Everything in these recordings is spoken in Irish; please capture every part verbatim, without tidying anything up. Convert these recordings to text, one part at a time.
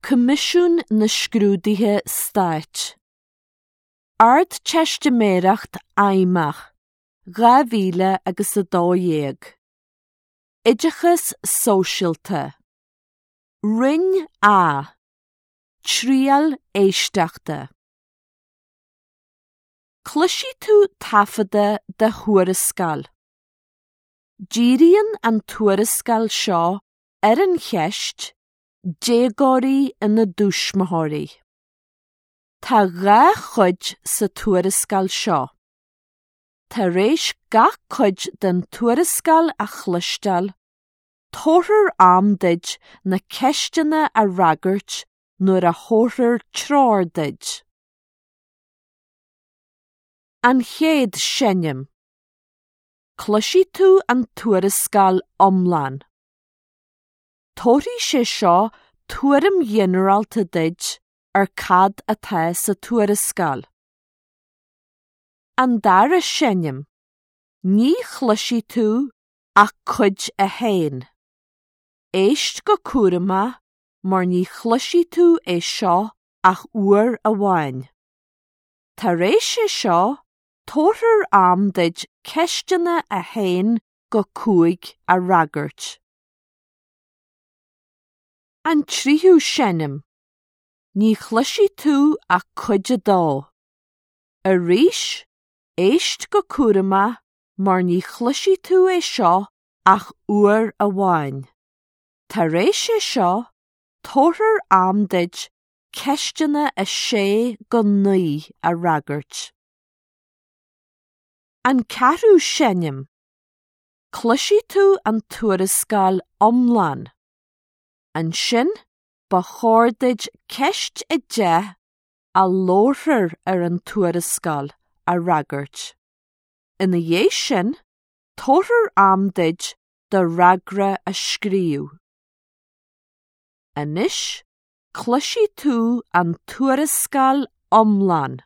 Coimisiún na Scrúduithe Stáit. Ardteistiméireacht Fheidhmeach dhá mhíle agus a dó dhéag. Oideachas Sóisialta. Roinn A. Triail Éisteachta. Cloisfidh tú taifeadadh de thuarascáil. Díríonn an tuarascáil seo ar an cheist déagóirí ina dtuismitheoirí. Tá dhá chuid sa tuarascáil seo. Tar éis gach cuid den tuarascáil a chloisteáil, tabharfar am duit na ceisteanna a fhreagairt nuair a thabharfar treoir duit. An chéad seinm. Cloisfidh tú an tuarascáil iomlán. Tabharfaidh sé seo tuairim ghinearálta duit ar cad atá sa tuarascáil. An dara seinm. Ní chloisfidh tú ach cuid a haon. Éist go cúramach mar ní chloisfidh tú é seo ach uair amháin. Tar éis é seo, tabharfar am duit ceisteanna a haon go cúig a fhreagairt. An tríú seinm. Ní chloisfidh tú ach cuid a dó. Arís, éist go cúramach mar ní chloisfidh tú é seo ach uair amháin. Tar éis é seo, tabharfar am duit ceisteanna a sé go naoi a fhreagairt. An ceathrú seinm. Cloisfidh tú an tuarascáil iomlán. Ansin, ba chóir duit ceist a deich a labharfar ar an tuarascáil a fhreagairt. Ina dhiaidh sin, tabharfar am duit do fhreagra a scríobh. Anois, cloisfidh tú an tuarascáil iomlán.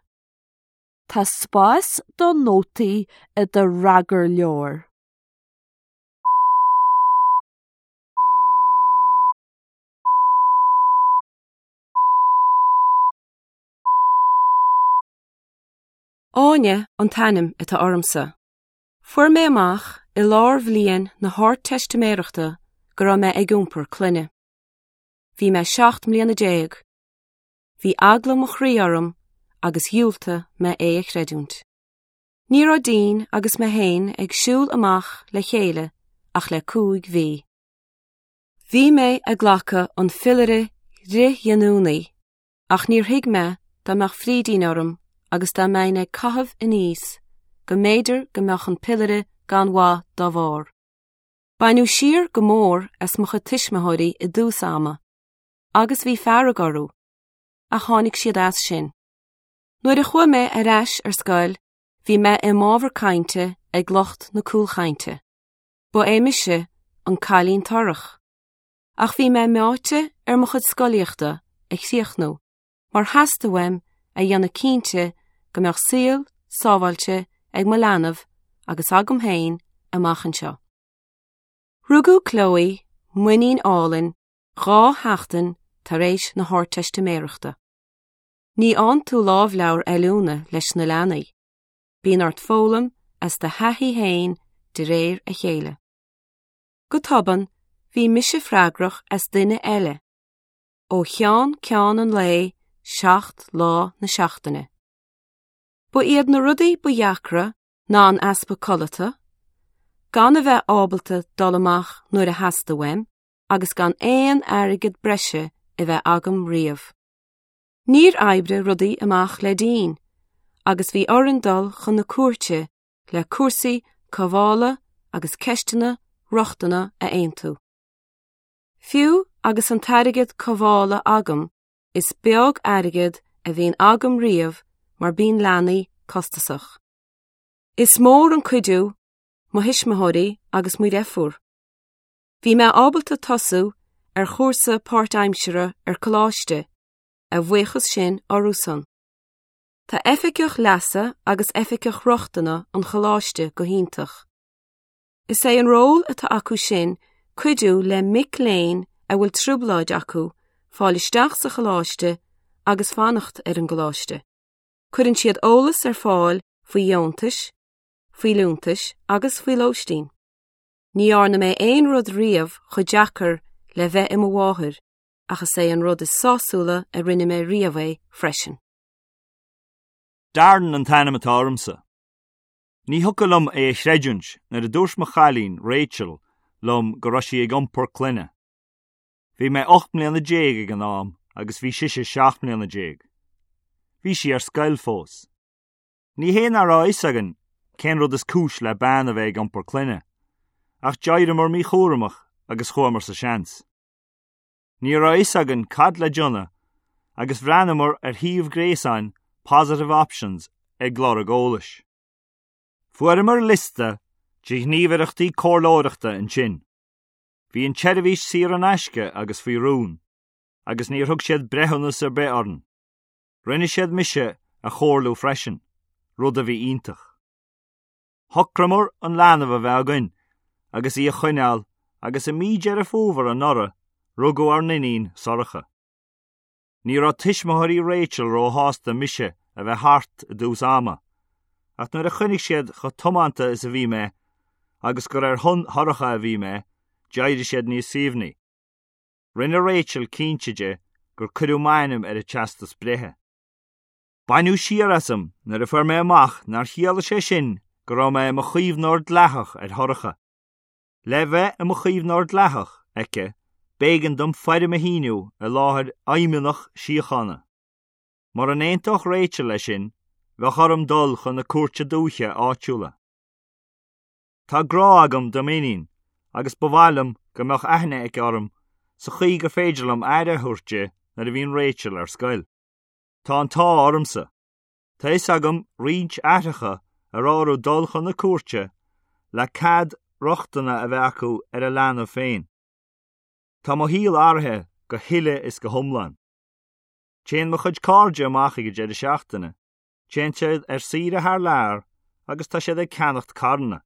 Tá spás do nótaí i do fhreagarleabhar. Áine an t-ainm atá ormsa. Fuair mé amach i lár bhliain na hArdteistiméireachta go raibh mé ag iompar clainne. Bhí mé seacht mbliana déag. Bhí eagla mo chroí orm agus dhiúltaigh mé é a chreidiúint. Ní raibh Dean agus mé féin ag siúl amach le chéile ach le cúig mhí. Bhí mé ag glacadh an phiollaire fhrithghiniúnaí, ach níor thuig mé dá mbeadh frídín orm agus dá mbeinn ag caitheamh aníos go mb'fhéidir go mbeadh an piollaire gan mhaith dá bharr. Baineadh siar go mór as mo chuid tuismitheoirí i dtús ama, agus bhí fearg orthu, ach tháinig siad as sin. Nuair a chuaigh mé ar ais ar scoil, bhí mé i m'ábhar cainte ag lucht na cúlchainte. Ba é mise an cailín torrach. Ach bhí mé meáite ar mo chuid scolaíochta a chríochnú, mar theastaigh uaim a dhéanamh cinnte go mbeadh saol sábháilte ag mo leanbh agus agam féin amach anseo. Rugadh Chloe, m'iníon álainn, dhá sheachtain tar éis na hArdteistiméireachta. Ní fhaigheann tú lámhleabhar oiliúna leis na leanaí. Bíonn ort foghlaim as do thaithí féin de réir a chéile. Go tobann, bhí mise freagrach as duine eile. Ó cheann ceann an lae seacht lá na seachtaine. Ba iad na rudaí ba dheacra ná an easpa codlata, gan a bheith ábalta dul amach nuair a theastaigh uaim, agus gan aon airgead breise a bheith agam riamh. Níor oibrigh rudaí amach le Dean, agus bhí orainn dul chun na cúirte le cúrsaí cothabhála agus ceisteanna rochtana a aontú. Fiú agus an t-airgead cothabhála agam, is beag airgead a bhíonn agam riamh mar bíonn leanaí costasach. Is mór an cuidiú mo thuismitheoirí agus mo dheirfiúr. Bhí mé ábalta tosú ar chúrsa páirtaimseartha ar coláiste, a bhuíochas sin orthusan. Tá oifigeach leasa agus oifigeach rochtana an choláiste go hiontach. Is é an ról atá acu sin cuidiú le mic léinn a bhfuil trioblóid acu fáil isteach sa choláiste agus fanacht ar an gcoláiste. Cuireann siad eolas ar fáil faoi dheontais, faoi liúntais agus faoi lóistín. Ní dhearna mé aon rud riamh chomh deacair le bheith i mo mháthair, ach is é an rud is sásúla a rinne mé riamh é freisin. Darren an t-ainm atá ormsa. Ní thiocfadh liom é a chreidiúint nuair a dúirt mo chailín, Rachel, liom go raibh sí ag iompar clainne. Bhí mé ocht mbliana déag ag an am agus bhí sise seacht mbliana déag. Bhí sí ar scoil fós. Ní hé nach raibh a fhios againn cén rud is cúis le bean a bheith ag iompar clainne, ach d'éiríomar míchúramach agus chuamar sa seans. Ní raibh a fhios againn cad le déanamh agus bhreathnaíomar ar shuíomh gréasáin Positive Options ag lorg eolais. Fuaireamar liosta de ghníomhaireachtaí comhairleoireachta ansin. Bhí an tseirbhís saor in aisce agus faoi rún, agus níor thug siad breithiúnas ar bith orainn. Rinne siad mise a chomhairliú freisin, rud a bhí iontach. Shocraíomar an leanbh a bheith againn agus í a choinneáil agus i mí Deireadh Fómhair anuraidh rugadh ár n-iníon Sorcha. Ní raibh tuismitheoirí Rachel róshásta mise a bheith thart i dtús ama, ach nuair a chonaic siad chomh tiomanta is a bhí mé, agus gur ar shon Shorcha a bhí mé, d'éirigh siad níos suaimhní. Rinne Rachel cinnte de gur cuireadh m'ainm ar a teastas breithe. Baineadh siar asam nuair a fuair mé amach nár chiallaigh sé sin go raibh mé i mo chaomhnóir dleathach ar Shorcha. Le bheith i mo chaomhnóir dleathach aici, b'éigean dom foirm a shíniú i láthair fheidhmeannach síochána. Mura n-aontódh Rachel leis sin, bheadh orm dul chun na cúirte dúiche áitiúla. Tá grá agam do m'iníon agus ba mhaith liom go mbeadh aithne aici orm sa chaoi gur féidir liom aire a thabhairt di nuair a bhíonn Rachel ar scoil. Tá an t-ádh ormsa. Tá fhios agam roinnt aithreacha a raibh orthu dul chun na cúirte le cead rochtana a bheith acu ar a leanbh féin. Tá mo shaol athraithe go huile is go hiomlán. Téann mo chuid cairde amach ag an deireadh seachtaine, téann siad ar saoire thar lear agus tá siad ag ceannacht carranna.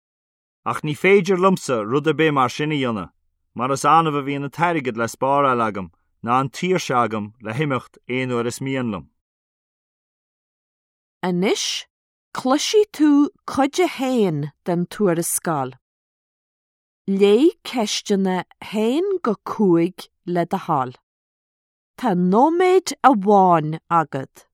Ach ní féidir liomsa rud ar bith mar sin a dhéanamh, mar is annamh a bhíonn an t-airgead le spáráil agam ná an tsaoirse agam le himeacht aon uair is mian liom. Anois, cloisfidh tú cuid a haon den tuarascáil. Léigh ceisteanna haon go cúig le do thoil. Tá nóiméad amháin agat.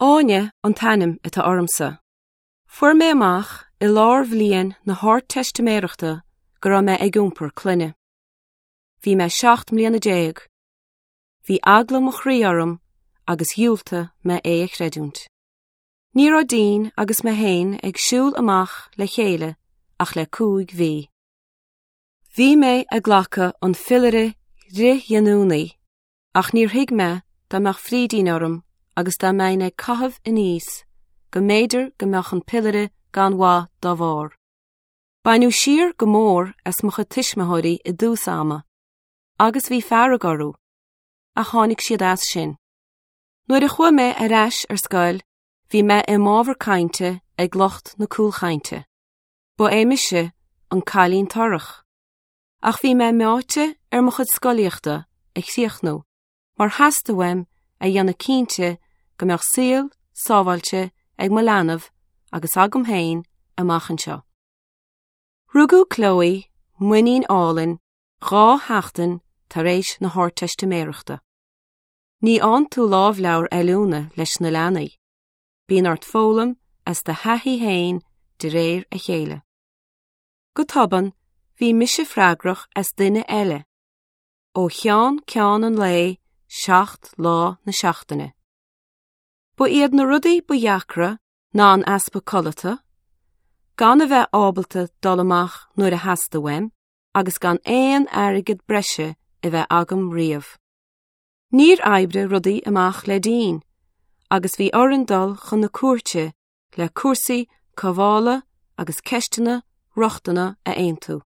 Áine an t-ainm atá ormsa. Fuair mé amach i lár bhliain na hArdteistiméireachta go raibh mé ag iompar clainne. Bhí mé seacht mbliana déag. Bhí eagla mo chroí orm agus dhiúltaigh mé é a chreidiúint. Ní raibh Dean agus mé féin ag siúl amach le chéile ach le cúig mhí. Bhí mé ag glacadh an phiollaire fhrithghiniúnaí, ach níor thuig mé dá mbeadh frídín orm agus dá mbeinn ag caitheamh aníos go mb'fhéidir go mbeadh an piollaire gan mhaith dá bharr. Baineadh siar go mór as mo chuid tuismitheoirí i dtús ama, agus bhí fearg orthu, ach tháinig siad as sin. Nuair a chuaigh mé ar ais ar scoil, bhí mé i m'ábhar cainte ag lucht na cúlchainte. Ba é mise an cailín torrach. Ach bhí mé meáite ar mo chuid scolaíochta a chríochnú, mar theastaigh uaim a dhéanamh cinnte go mbeadh saol sábháilte ag mo leanbh agus agam féin amach anseo. Rugadh Chloe muinín álainn dhá sheachtain tar éis na hArdteistiméireachta. Ní fhaigheann tú lámhleabhar oiliúna leis na leanaí. Bíonn ort foghlaim as do thaithí féin de réir a chéile. Go tobann, bhí mise freagrach as duine eile. Ó cheann ceann an lae seacht lá na seachtaine. Ba iad na rudaí ba dheacra ná an easpa codlata, gan a bheith ábalta dul amach nuair a theastaigh uaim, agus gan aon airgead breise a bheith agam riamh. Níor oibrigh rudaí amach le Dean, agus bhí orainn dul chun na cúirte le cúrsaí cothabhála agus ceisteanna rochtana a aontú.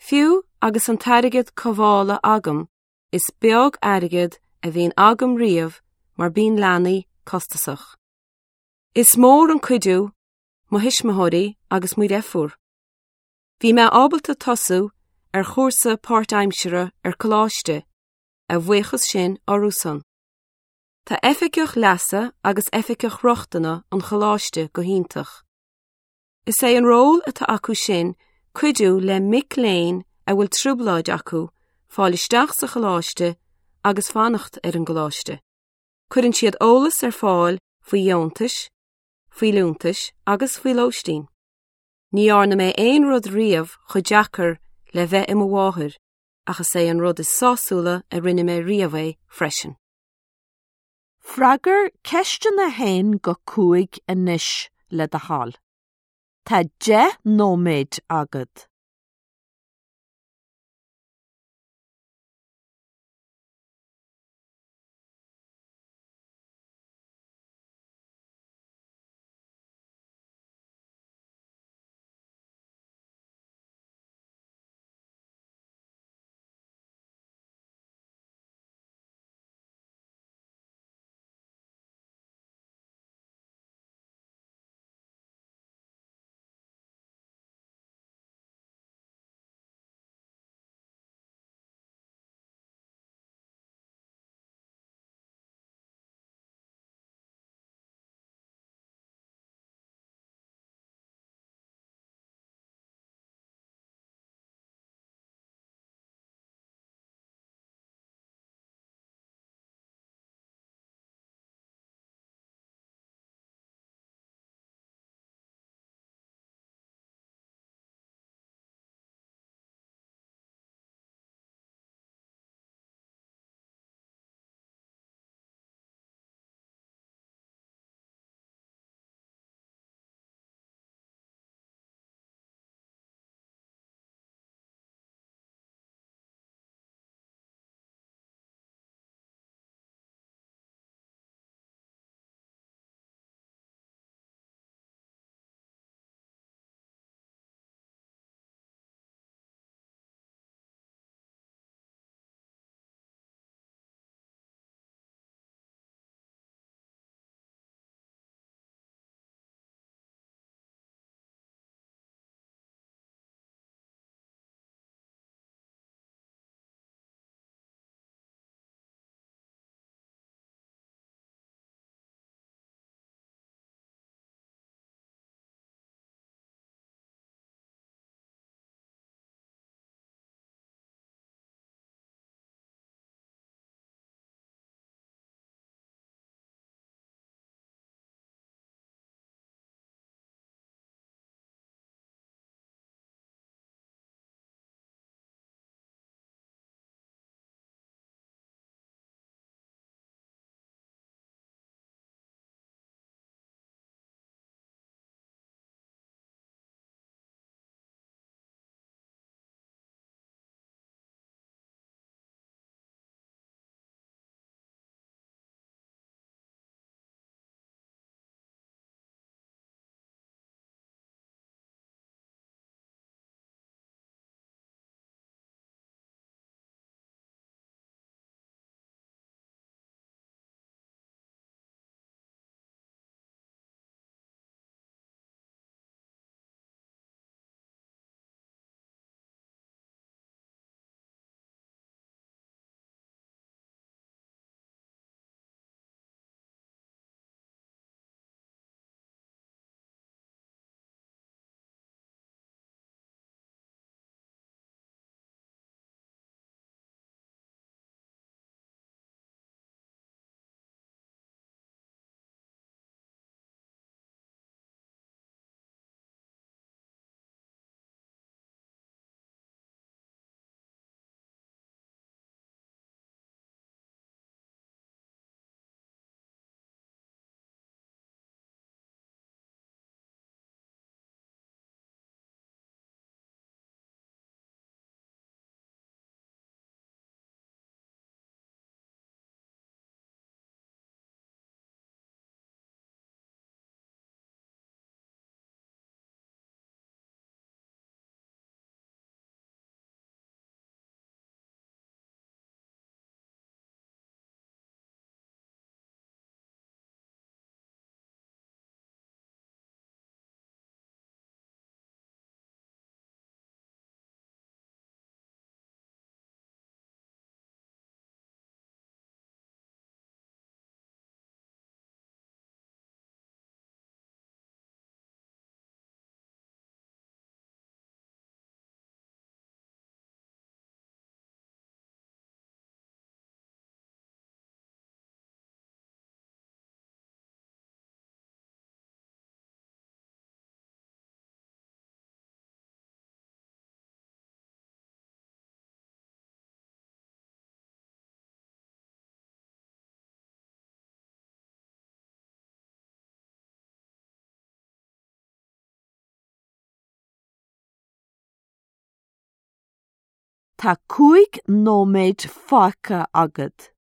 Fiú agus an t-airgead cothabhála agam, is beag airgead a bhíonn agam riamh mar bíonn leanaí costasach. Is mór an cuidiú mo thuismitheoirí agus mo dheirfiúr. Bhí mé ábalta tosú ar chúrsa páirtaimseartha ar coláiste, a bhuíochas sin orthusan. Tá oifigeach leasa agus oifigeach rochtana an choláiste go hiontach. Is é an ról atá acu sin cuidiú le mic léinn a bhfuil trioblóid acu fáil isteach sa choláiste agus fanacht ar an gcoláiste. Cuireann siad eolas ar fáil faoi dheontais, faoi liúntais agus faoi lóistín. Ní dhearna mé aon rud riamh chomh deacair le bheith i mo mháthair, ach is é an rud is sásúla a rinne mé riamh é freisin. Freagair ceisteanna a haon go cúig anois le do thoil. Tá deich nóiméad agat. Tá cúig nóiméad fágtha agat.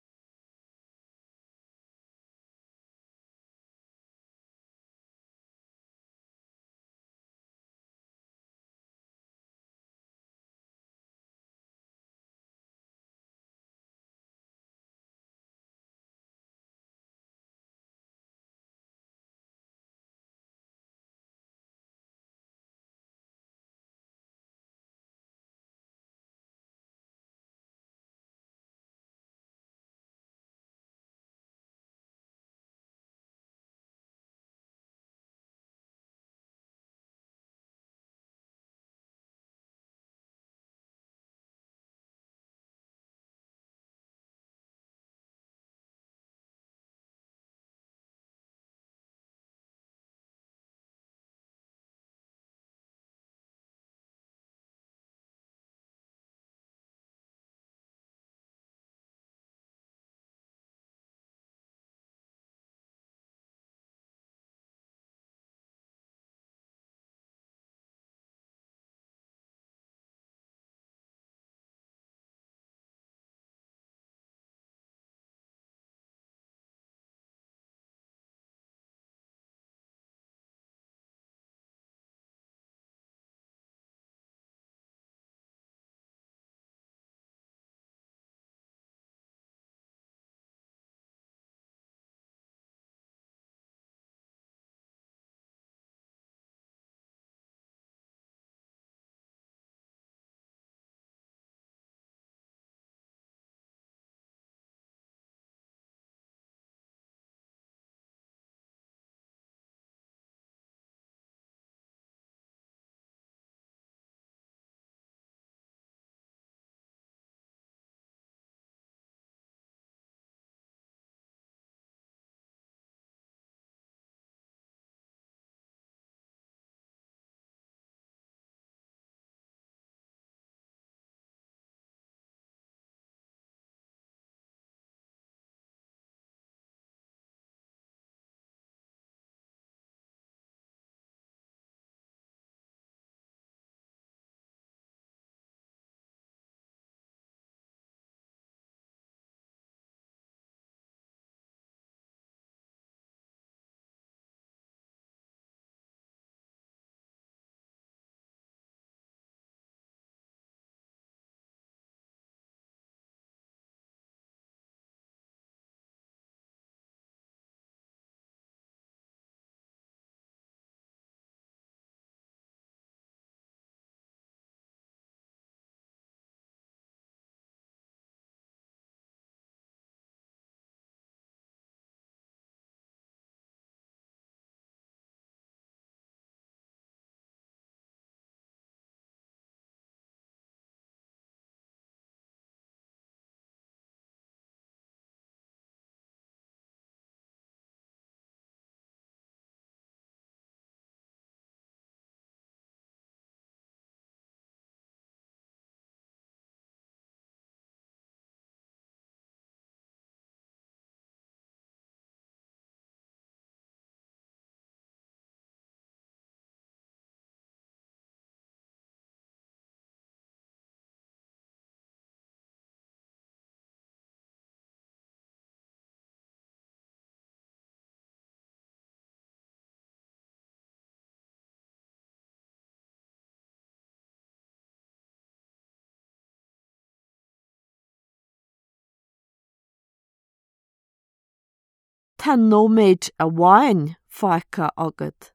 Tá nóiméad amháin fágtha agat.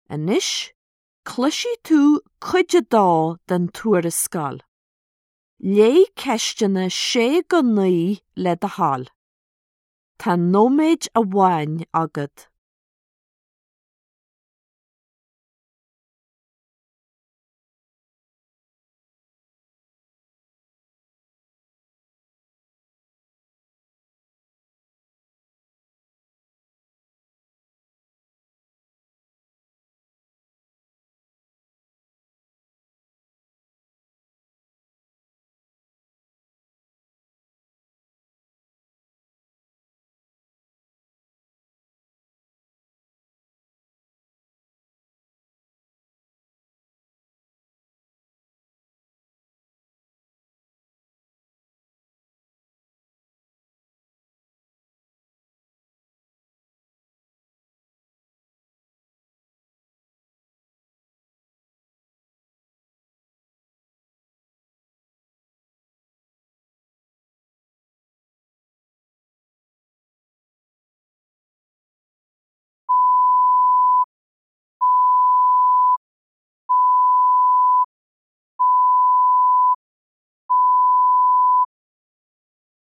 Anois, cloisfidh tú cuid a dó den tuarascáil. Léigh ceisteanna sé go naoi le do thoil. Tá nóiméad amháin agat.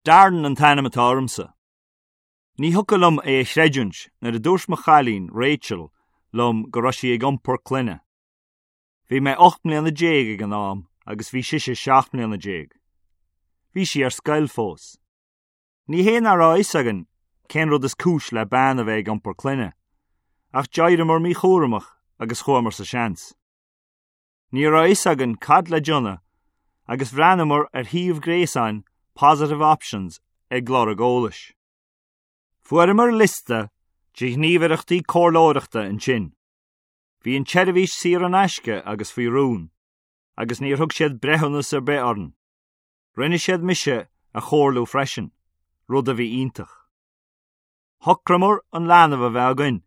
Darren an t-ainm atá ormsa. Ní thiocfadh liom é a chreidiúint nuair a dúirt mo chailín, Rachel, liom go raibh sí ag iompar clainne. Bhí mé ocht mbliana déag ag an am agus bhí sise seacht mbliana déag. Bhí sí ar scoil fós. Ní hé nach raibh a fhios againn cén rud is cúis le bean a bheith ag iompar clainne, ach d'éiríomar míchúramach agus chuamar sa seans. Ní raibh a fhios againn cad le déanamh agus bhreathnaíomar ar shuíomh gréasáin Positive Options ag lorg eolais. Fuaireamar liosta de ghníomhaireachtaí comhairleoireachta ansin. Bhí an tseirbhís saor in aisce agus faoi rún, agus níor thug siad breithiúnas ar bith orainn. Rinne siad mise a chomhairliú freisin, rud a bhí iontach. Shocraíomar an leanbh a bheith againn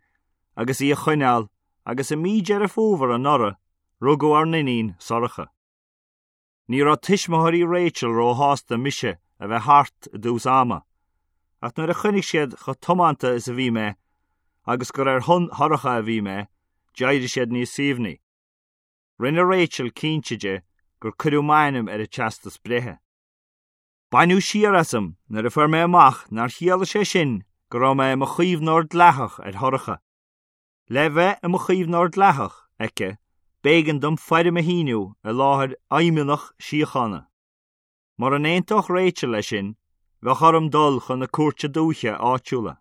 agus í a choinneáil agus i mí Deireadh Fómhair anuraidh rugadh ár n-iníon Sorcha. Ní raibh tuismitheoirí Rachel róshásta mise a bheith thart i dtús ama, ach nuair a chonaic siad chomh tiomanta is a bhí mé agus gur ar shon Shorcha a bhí mé, d'éirigh siad níos suaimhní. Rinne Rachel cinnte de gur cuireadh m'ainm ar a teastas breithe. Baineadh siar asam nuair a fuair mé amach nár chiallaigh sé sin go raibh mé i mo chaomhnóir dleathach ar Shorcha. Le bheith i mo chaomhnóir dleathach aici, b'éigean dom foirm a shíniú i láthair fheidhmeannach síochána. Mura n-aontódh Rachel leis sin, bheadh orm dul chun na cúirte dúiche áitiúla.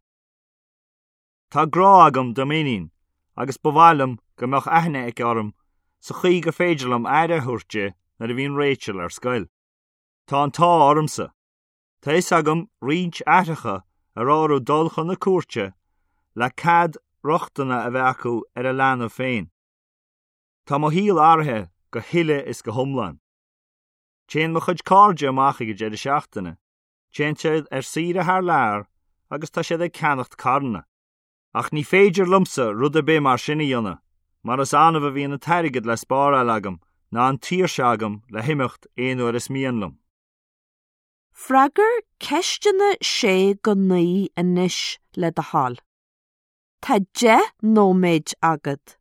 Tá grá agam do m'iníon agus ba mhaith liom go mbeadh aithne aici orm sa chaoi gur féidir liom aire a thabhairt di nuair a bhíonn Rachel ar scoil. Tá an t-ádh ormsa. Tá fhios agam roinnt aithreacha a raibh orthu dul chun na cúirte le cead rochtana a bheith acu ar a leanbh féin. Tá mo shaol athraithe go huile is go hiomlán. Téann mo chuid cairde amach ag an deireadh seachtaine, téann siad ar saoire thar lear agus tá siad ag ceannacht carranna. Ach ní féidir liomsa rud ar bith mar sin a dhéanamh, mar is annamh a bhíonn an t-airgead le spáráil agam ná an tsaoirse agam le himeacht aon uair is mian liom. Freagair ceisteanna sé go naoi anois le do thoil. Tá deich nóiméad agat.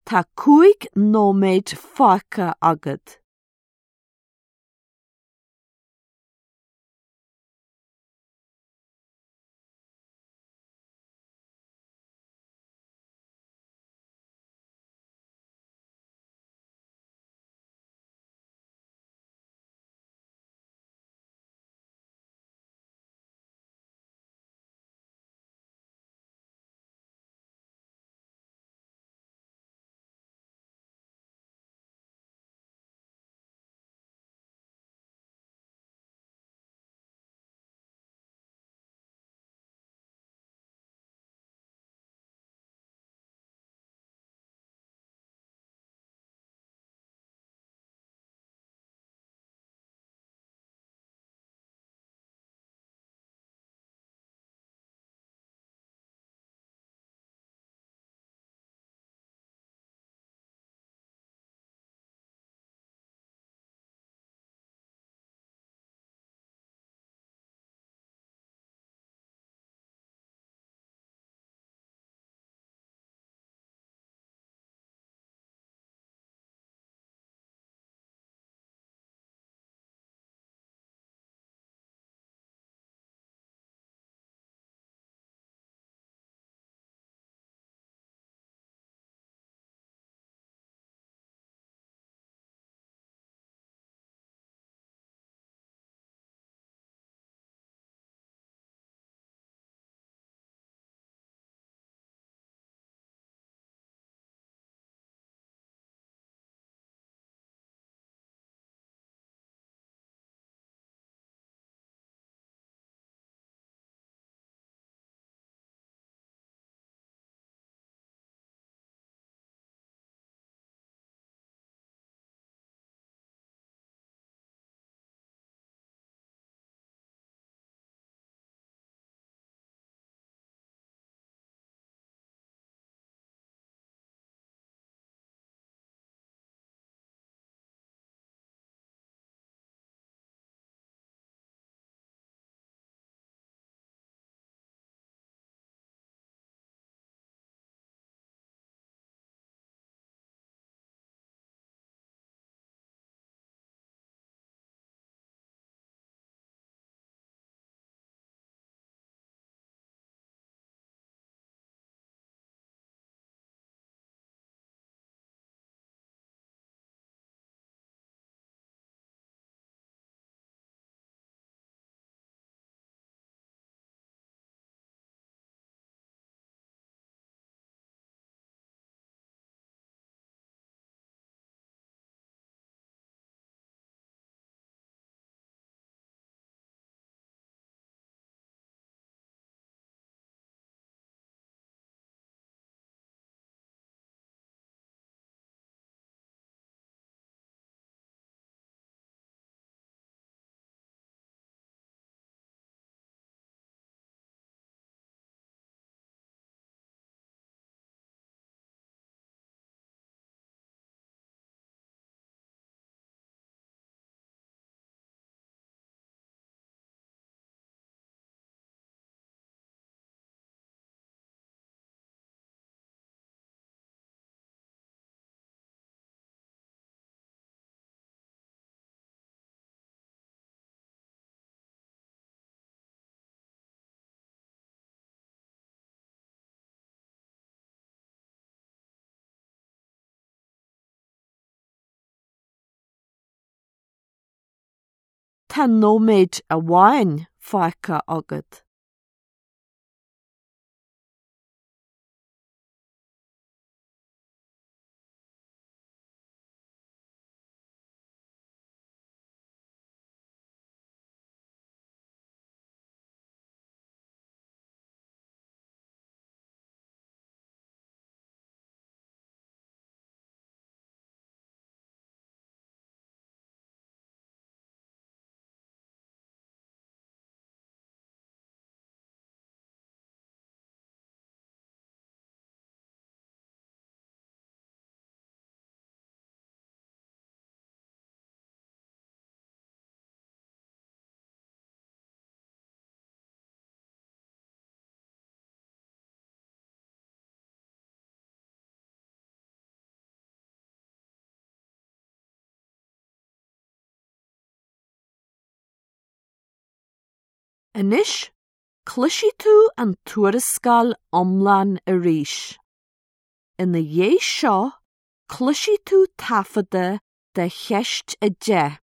Tá cúig nóiméad fágtha agat. Tá nóiméad amháin fágtha agat. Anois, cloisfidh tú an tuarascáil iomlán arís. Ina dhiaidh seo, cloisfidh tú taifeadadh de cheist a deich.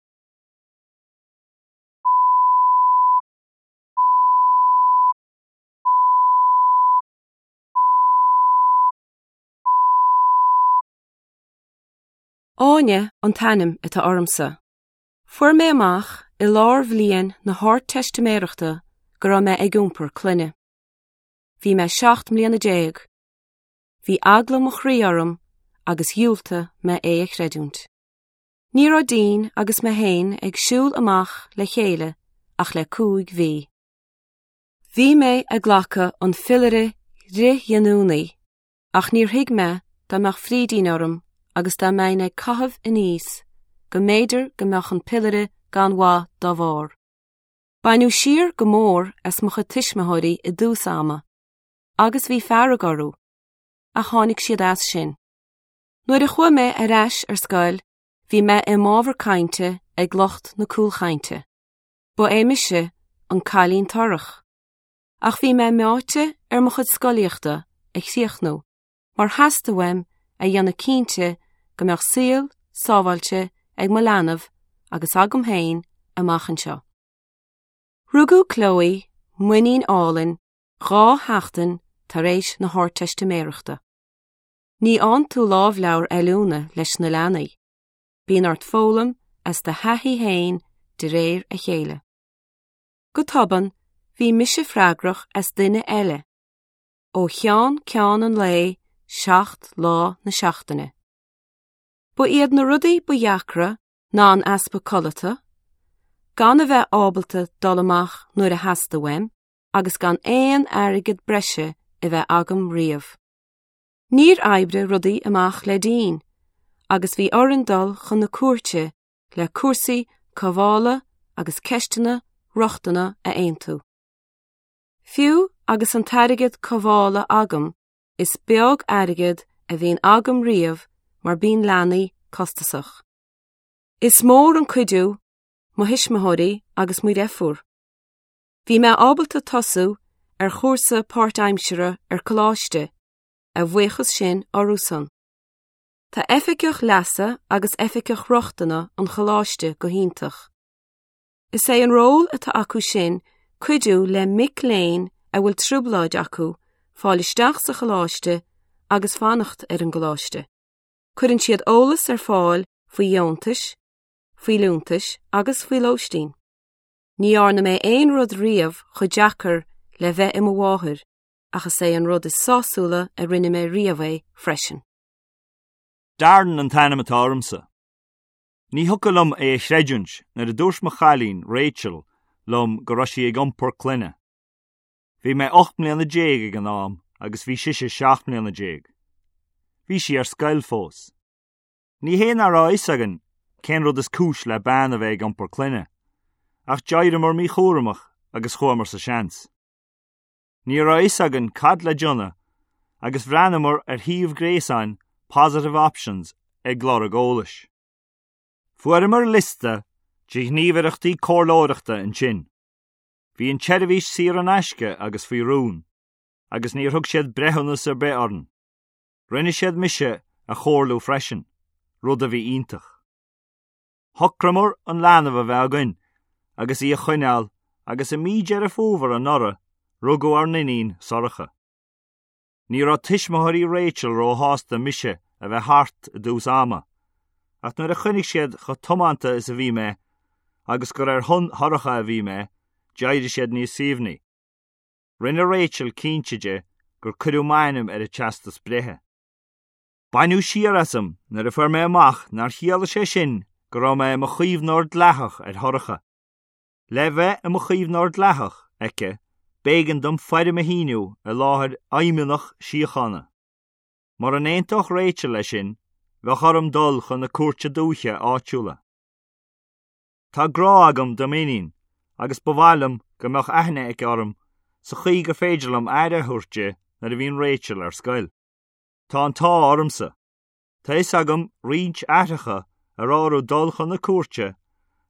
Áine an t-ainm atá ormsa. Fuair mé amach i lár bhliain na hArdteistiméireachta go raibh mé ag iompar clainne. Bhí mé seacht mbliana déag. Bhí eagla mo chroí orm agus dhiúltaigh mé é a chreidiúint. Ní raibh Dean agus mé féin ag siúl amach le chéile ach le cúig mhí. Bhí mé ag glacadh an phiollaire fhrithghiniúnaí, ach níor thuig mé dá mbeadh frídín orm agus dá mbeinn ag caitheamh aníos go mb'fhéidir go mbeadh an piollaire gan mhaith dá bharr. Baineadh siar go mór as mo chuid tuismitheoirí i dtús ama, agus bhí fearg orthu, ach tháinig siad as sin. Nuair a chuaigh mé ar ais ar scoil, bhí mé i m'ábhar cainte ag lucht na cúlchainte. Ba é mise an cailín torrach. Ach bhí mé meáite ar mo chuid scolaíochta a chríochnú, mar theastaigh uaim a dhéanamh cinnte go mbeadh saol sábháilte ag mo leanbh agus agam féin amach anseo. Rugadh Chloe m'iníon álainn dhá sheachtain tar éis na hArdteistiméireachta. Ní fhaigheann tú lámhleabhar oiliúna leis na leanaí. Bíonn ort foghlaim as do thaithí féin de réir a chéile. Go tobann, bhí mise freagrach as duine eile. Ó cheann ceann an lae seacht lá na seachtaine. Ba iad na rudaí ba dheacra ná an easpa codlata, gan a bheith ábalta dul amach nuair a theastaigh uaim, agus gan aon airgead breise a bheith agam riamh. Níor oibrigh rudaí amach le Dean, agus bhí orainn dul chun na cúirte le cúrsaí cothabhála agus ceisteanna rochtana a aontú. Fiú agus an t-airgead cothabhála agam, is beag airgead a bhíonn agam riamh mar bíonn leanaí costasach. Is mór an cuidiú mo thuismitheoirí agus mo dheirfiúr. Bhí mé ábalta tosú ar chúrsa páirtaimseartha ar coláiste, a bhuíochas sin orthusan. Tá oifigeach leasa agus oifigeach rochtana an choláiste go hiontach. Is é an ról atá acu sin cuidiú le mic léinn a bhfuil trioblóid acu fáil isteach sa choláiste agus fanacht ar an gcoláiste. Cuireann siad eolas ar fáil faoi dheontais, faoi liúntais agus faoi lóistín. Ní dhearna mé aon rud riamh chomh deacair le bheith i mo mháthair, ach is é an rud is sásúla a rinne mé riamh é freisin. Darren an t-ainm atá ormsa. Ní thiocfadh liom é a chreidiúint nuair a dúirt mo chailín Rachel liom go raibh sí ag iompar clainne. Bhí mé ocht mbliana déag ag an am agus bhí sise seacht mbliana déag. Bhí sí ar scoil fós. Ní hé nach raibh a fhios againn cén rud is cúis le bean a bheith ag iompar clainne, ach d'éiríomar míchúramach agus chuamar sa seans. Ní raibh a fhios againn cad le déanamh agus bhreathnaíomar ar shuíomh gréasáin Positive Options ag lorg eolais. Fuaireamar liosta de ghníomhaireachtaí comhairleoireachta ansin. Bhí an tseirbhís saor in aisce agus faoi rún, agus níor thug siad breithiúnas ar bith orainn. Rinne siad mise a chomhairliú freisin, rud a bhí iontach. Shocraíomar an leanbh a bheith againn agus í a choinneáil agus i mí Deireadh Fómhair anuraidh rugadh ár n-iníon Sorcha. Ní raibh tuismitheoirí Rachel róshásta mise a bheith thart i dtús ama, ach nuair a chonaic siad chomh tiomanta is a bhí mé agus gur ar shon Shorcha a bhí mé, d'éirigh siad níos suaimhní. Rinne Rachel cinnte de gur cuireadh m'ainm ar an teastas breithe. Baineadh siar asam nuair a fuair mé amach nár chiallaigh sé sin go raibh mé i mo chaomhnóir dleathach ar Shorcha. Le bheith i mo chaomhnóir dleathach aici, b'éigean dom foirm a shíniú i láthair fheidhmeannach síochána. Mura n-aontódh Rachel leis sin, bheadh orm dul chun na cúirte dúiche áitiúla. Tá grá agam do m'iníon agus ba mhaith liom go mbeadh aithne aici orm sa chaoi gur féidir liom aire a thabhairt di nuair a bhíonn Rachel ar scoil. Tá an t-ádh ormsa. Tá fhios agam roinnt aithreacha a raibh orthu dul chun na cúirte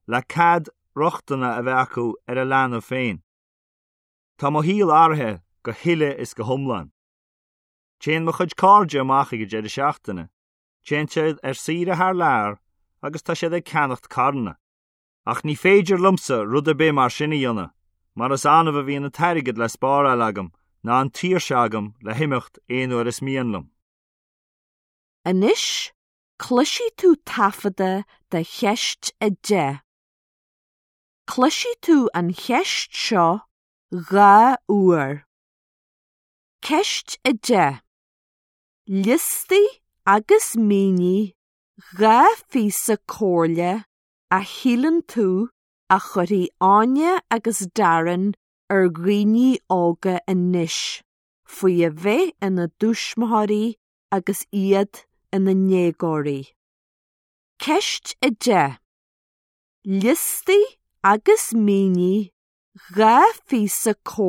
le cead rochtana a bheith acu ar a leanbh féin. Tá mo shaol athraithe go huile is go hiomlán. Téann mo chuid cairde amach ag deireadh seachtaine, Téann siad ar saoire thar lear agus tá siad ag ceannacht carranna. Ach ní féidir liomsa rud ar bith mar sin a dhéanamh, mar is annamh a bhíonn an t-airgead le spáráil agam ná an tsaoirse agam le himeacht aon uair is mian liom. Anois, cloisfidh tú taifeadadh de cheist a deich. Cloisfidh tú an cheist seo dhá uair. Ceist a deich. Liostaigh agus mínigh dhá phíosa comhairle a shíleann tú a chuirfidh Áine agus Darren ar dhaoine óga anois faoi a bheith ina dtuismitheoirí agus iad ina ndéagóirí. Ceist a deich. Liostaigh agus mínigh dhá phíosa comhairle